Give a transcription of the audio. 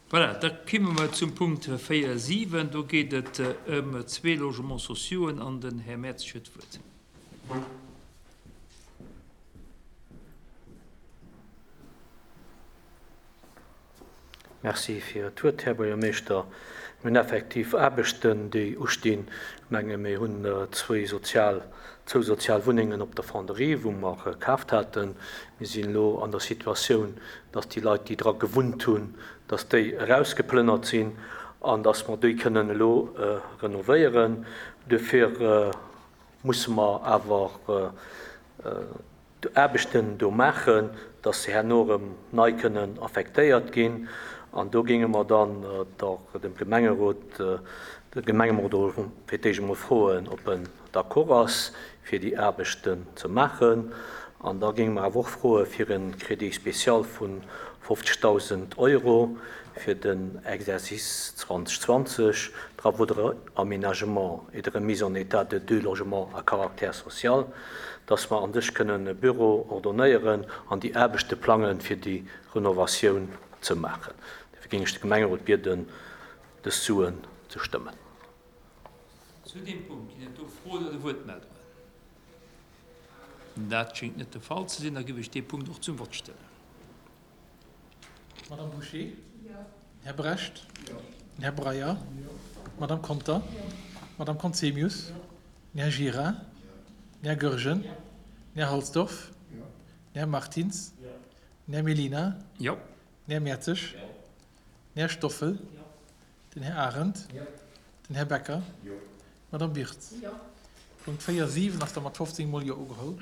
Voilà, da kimme mer zum Punkt 4, 7. Do geet et ëm zwee Logements sociauxen an den Här Mertzig huet d'Wuert. Merci fir d'Wuert, Här Buergermeeschter. Mir hunn effektiv Aarbechten, déi ustinn. Ech menge mir hunn zwéi sozial, zwou sozial Wunnengen op der Fonderie, wou mer kaaft haten. Mir sinn elo an der Situatioun, dass déi Leit, déi dra gewunnt hunn, dass déi erausgeplënnert sinn an dass mer déi kënnen elo renovéieren. Duerfir musse mer awer Aarbechten do maachen, dass se herno erëm nei kënnen affektéiert ginn. An do géinge mer dann dem Gemengerot, de Gemengerot fir d'éischt emol froen, ob en d'accord ass, fir déi Aarbechten ze maachen. An da géinge mer awer och froe fir e Crédit spécial vu 50.000 Euro fir den Exercice 2020, Travaux de réaménagement et de remise en état de deux logements à caractère social, dass mer an sech kënnen e Büro ordonnéieren an déi Aarbechte plangen, fir déi Renovatioun ze maachen. Dofir géing ech de Gemengerot bieden, dës Suen ze stëmmen. Zu deem Punkt ginn et do Froen oder Wuertmeldungen? Dat schéngt net de Fall ze sinn. Da géif ech dee Punkt och zum Vott stellen. Madame Bouché? Här Brecht? Här Breyer? Madame Conter? Madame Conzemius? Här Gira? Här Goergen? Här Halsdorf? Här Martins? Här Mellina? Här Mertzig? Här Stoffel? Den Här Arendt? Den Här Becker? D'Madame Wirtz? Punkt 4, 7 ass da mat 15 mol Jo ugeholl.